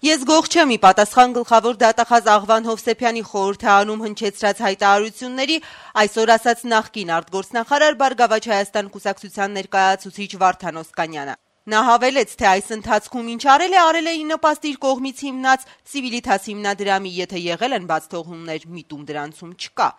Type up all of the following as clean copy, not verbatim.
Ես գող չեմ ի պատասխան գլխավոր դատախազ Աղվան Հովսեփյանի խորհրդարանում հնչեցրած հայտարարությունների այսօր ասաց նախկին արտգործնախարար Բարգավաճ Հայաստան կուսակցության ներկայացուցիչ Վարդան Օսկանյանը։ Նա հավելեց, թե այս ընթացքում ինչ արել է ի նպաստ իր կողմից հիմնած Civitas հիմնադրամի, եթե եղել են բաց թողումներ, միտում դրանցում չկա։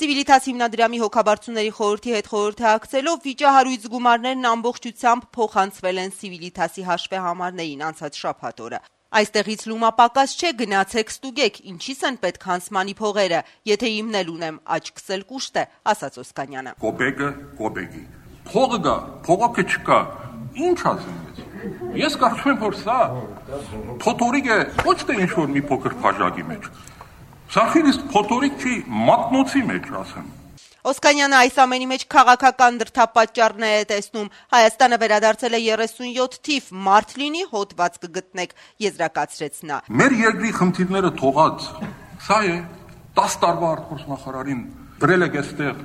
Civitas հիմնադրամի հոգաբարձուների խորհրդի հետ խորհրդակցելով վիճահարույց գումարներն ամբողջությամբ փոխանցվել են Civitas-ի հաշվեհամարներին անցած շաբաթ օրը։ Այստեղից լումապակաս չէ, գնացեք ստուգեք, ինչի՞ս են պետք հանցմանի փողերը, եթե իմնել ունեմ, աչքս էլ կուշտ է, ասաց Օսկանյանը։ Կոպեկը կոպեկի։ Փողը գա, փողոքը չկա։ Ինչ ասեմ ես կարծում եմ, որ սա փոթորիկ է, ոչ թե ինչ-որ մի փոքր բաժակի մեջ։ Սա խիստ փոթորիկ չի, մատնոցի մեջ, ասեմ։ Օսկանյանը այս ամենի մեջ քաղաքական դրդապատճառներ է տեսնում։ Հայաստանը վերադարձել է 37 թիվ, մարդ լինի հոդված կգտնեք, եզրակացրեց նա։ Մեր երկրի խնդիրները թողած, սա է 10 տարվա արտգործնախարարին դրել եք այստեղ,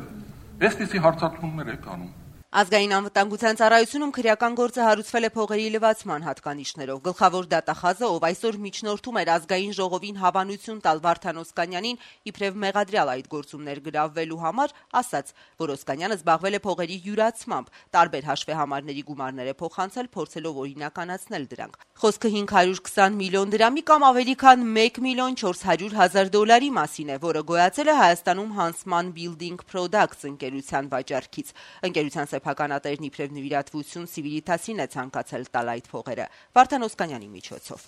այսպիսի հարցադրումներ եք անում։ Ազգային անվտանգության ծառայությունում քրեական գործը հարուցվել է փողերի լվացման հատկանիշներով։ Գլխավոր դատախազը, ով այսօր միջնորդում էր ազգային ժողովին հավանություն տալ Վարդան Օսկանյանին, իբրև մեղադրյալ այդ գործումներ գրավվելու համար, ասաց, որ Օսկանյանը զբաղվել է փողերի յուրացմամբ, տարբեր հաշվեհամարների գումարներ է փոխանցել, փորձելով օրինականացնել դրանք։ Խոսքը 520 միլիոն դրամի կամ ավելի քան 1 միլիոն 400 հազար դոլարի մասին է, որը գոյացել է Հայաստանում Huntsman Building Products ընկերության վաճառքից։ Ընկերության սեփականատերն իբրև նվիրատվություն Civitas-ին է ցանկացել տալ այդ փողերը Վարդան Օսկանյանի միջոցով։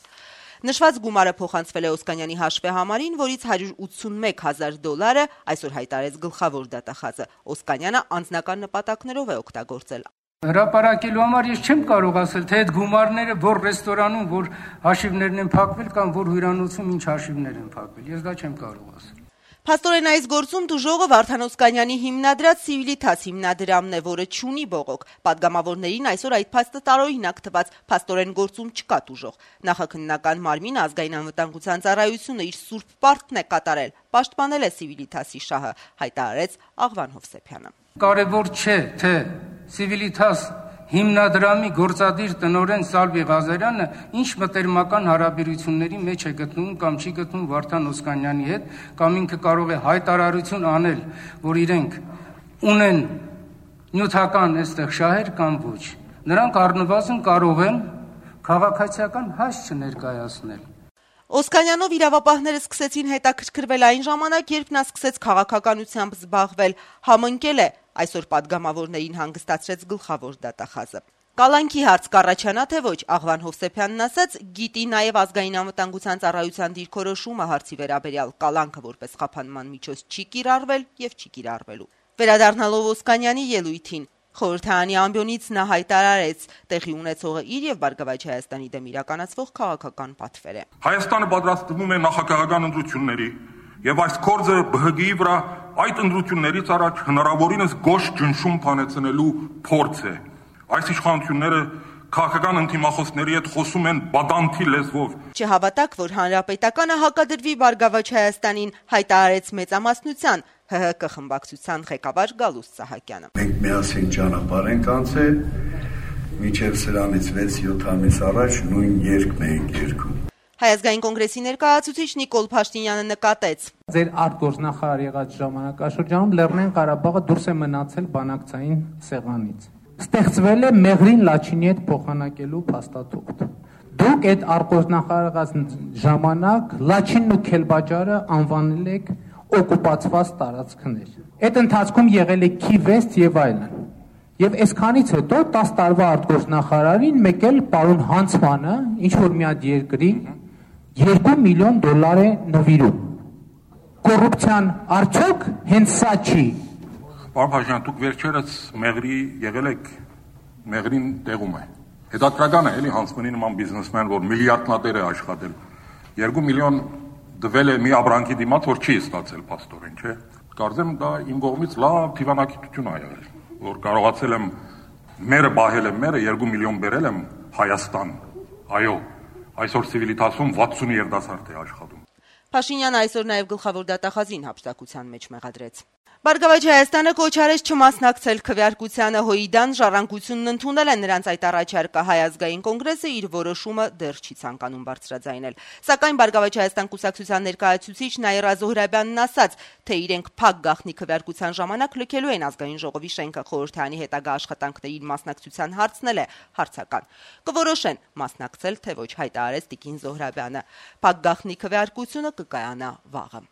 Նշված գումարը փոխանցվել է Օսկանյանի հաշվեհամարին, որից 181 հազար դոլարը այսօր հայտարարեց գլխավոր դատախազը։ Օսկանյանը անձնական նպատակներով է օգտագործել։ Հրապարակելու համար ես չեմ կարող ասել, թե այդ գումարները որ ռեստորանում, որ հաշիվներն են փակվել կամ որ հյուրանոցում ինչ հաշիվներ են փակվել, ես դա չեմ կարող ասել։ Փաստորեն այս գործում դուժողը Վարդան Օսկանյանի հիմնադրած Civitas հիմնադրամն է, որը չունի բողոք։ Պատգամավորներին այսօր այդ փաստը տարօրինակ թվաց, փաստորեն գործում չկա դուժող։ Նախաքննական մարմինը ազգային անվտանգության ծառայությունը իր սուրբ պարտքն է կատարել, պաշտպանել է Civitas-ի շահը, հայտարարեց Աղվան Հովսեփյանը։ Կարևոր չէ, թե Civitas հիմնադրամի գործադիր տնօրեն Սալվի Ղազարյանը ինչ մտերմական հարաբերությունների մեջ է գտնվում կամ չի գտնվում Վարդան Օսկանյանի հետ, կամ ինքը կարող է հայտարարություն անել, որ իրենք ունեն նյութական այստեղ շահեր կամ ոչ։ Նրանք առնվազն կարող են քաղաքացիական հաս չներկայացնել։ Օսկանյանով իրավապահները սկսեցին հետաքրքրվել այն ժամանակ, երբ նա սկսեց քաղաքականությամբ զբաղվել, համընկել է, այսօր պատգամավորներին հանգստացրեց գլխավոր դատախազը։ Կալանքի հարց կառաջանա, թե ոչ, Աղվան Հովսեփյանն ասաց, գիտի նաև ազգային անվտանգության ծառայության դիրքորոշումը հարցի վերաբերյալ, կալանքը որպես խափանման միջոց չի կիրառվել եւ չի կիրառվելու։ Վերադառնալով Օսկանյանի ելույթին, խորհրդարանի ամբիոնից նա հայտարարեց, տեղի ունեցողը իր եւ Բարգավաճ Հայաստանի դեմ իրականացվող քաղաքական պատվեր է։ Հայաստանը պատրաստվում է նախագահական ընտրությունների եւ այս կորձը ԲՀԳ-ի վրա այդ ընտրություններից առաջ հնարավորինս գոշ ճնշում փանեցնելու փորձ է։ Այս իշխանությունները քաղաքական ընդդիմախոսների հետ խոսում են բադանթի լեզվով։ Չհավատակ, որ հանրապետականը հակադրվի Բարգավաճ Հայաստանին, հայտարարեց մեծամասնության ՀՀԿ խմբակցության ղեկավար Գալուստ Սահակյանը։ Մենք միասին ճանապարհ ենք անցել, մինչև սրանից 6-7 ամիս առաջ նույն երգն ենք երգում։ Հայ ազգային կոնգրեսի ներկայացուցիչ Նիկոլ Փաշտինյանը նկատեց. Ձեր արտգործնախարար եղած ժամանակաշրջանում Լեռնային Ղարաբաղը դուրս է մնացել բանակցային սեղանից։ Ստեղծվել է Մեղրին Լաչինի հետ փոխանակելու փաստաթուղթ։ Դուք այդ արտգործնախարարած ժամանակ Լաչինն ու Քելբաջարը անվանել եք օկուպացված տարածքներ։ Այդ ընթացքում եղել է Քիվեստ եւ այլն։ Եվ այսքանից հետո 10 տարվա արտգործնախարարին մեկ էլ պարոն Հանցմանը ինչ որ մի հատ երկրի 2 միլիոն դոլար է նվիրում։ Կոռուպցիան արդյոք հենց սա չի։ Պարոն Փաշինյան, դուք վերջերս Մեղրի եղել եք, Մեղրին տեղում է։ Հետաքրական է, էլի Հանցմանի նման բիզնեսմեն, որ միլիարդնատեր է աշխատել։ 2 միլիոն դվել է մի ապրանքի դիմաց, որ չի ստացել փաստորեն, չէ։ Կարծեմ դա իմ կողմից լավ դիվանագիտություն ա եղել, որ կարողացել եմ մերը բահել եմ, մերը 2 միլիոն բերել եմ Հայաստան։ Այո, այսօր Civitas-ում 60 երիտասարդ է աշխատում։ Փաշինյանը այսօր նաև գլխավոր դատախազին հափշտակության մեջ մեղադրեց։ Բարգավաճ Հայաստանը կոչ արեց չմասնակցել քվեարկությանը ՀՅԴ-ն ժառանգությունն ընդունել է նրանց այդ առաջարկը Հայ ազգային կոնգրեսը իր որոշումը դեռ չի ցանկանում բարձրաձայնել։ Սակայն Բարգավաճ Հայաստան կուսակցության ներկայացուցիչ Նաիրա Զոհրաբյանն ասաց, թե իրենք փակ գաղտնի քվեարկության ժամանակ լքելու են ազգային ժողովի շենքը, խորհրդարանի հետագա աշխատանքներին մասնակցության հարցնել է հարցական։ Կորոշեն մասնակցել թե ոչ, հայտարարեց տիկին Զոհրաբյանը։ Փակ գաղտնի քվեարկությունը կկայանա վաղը։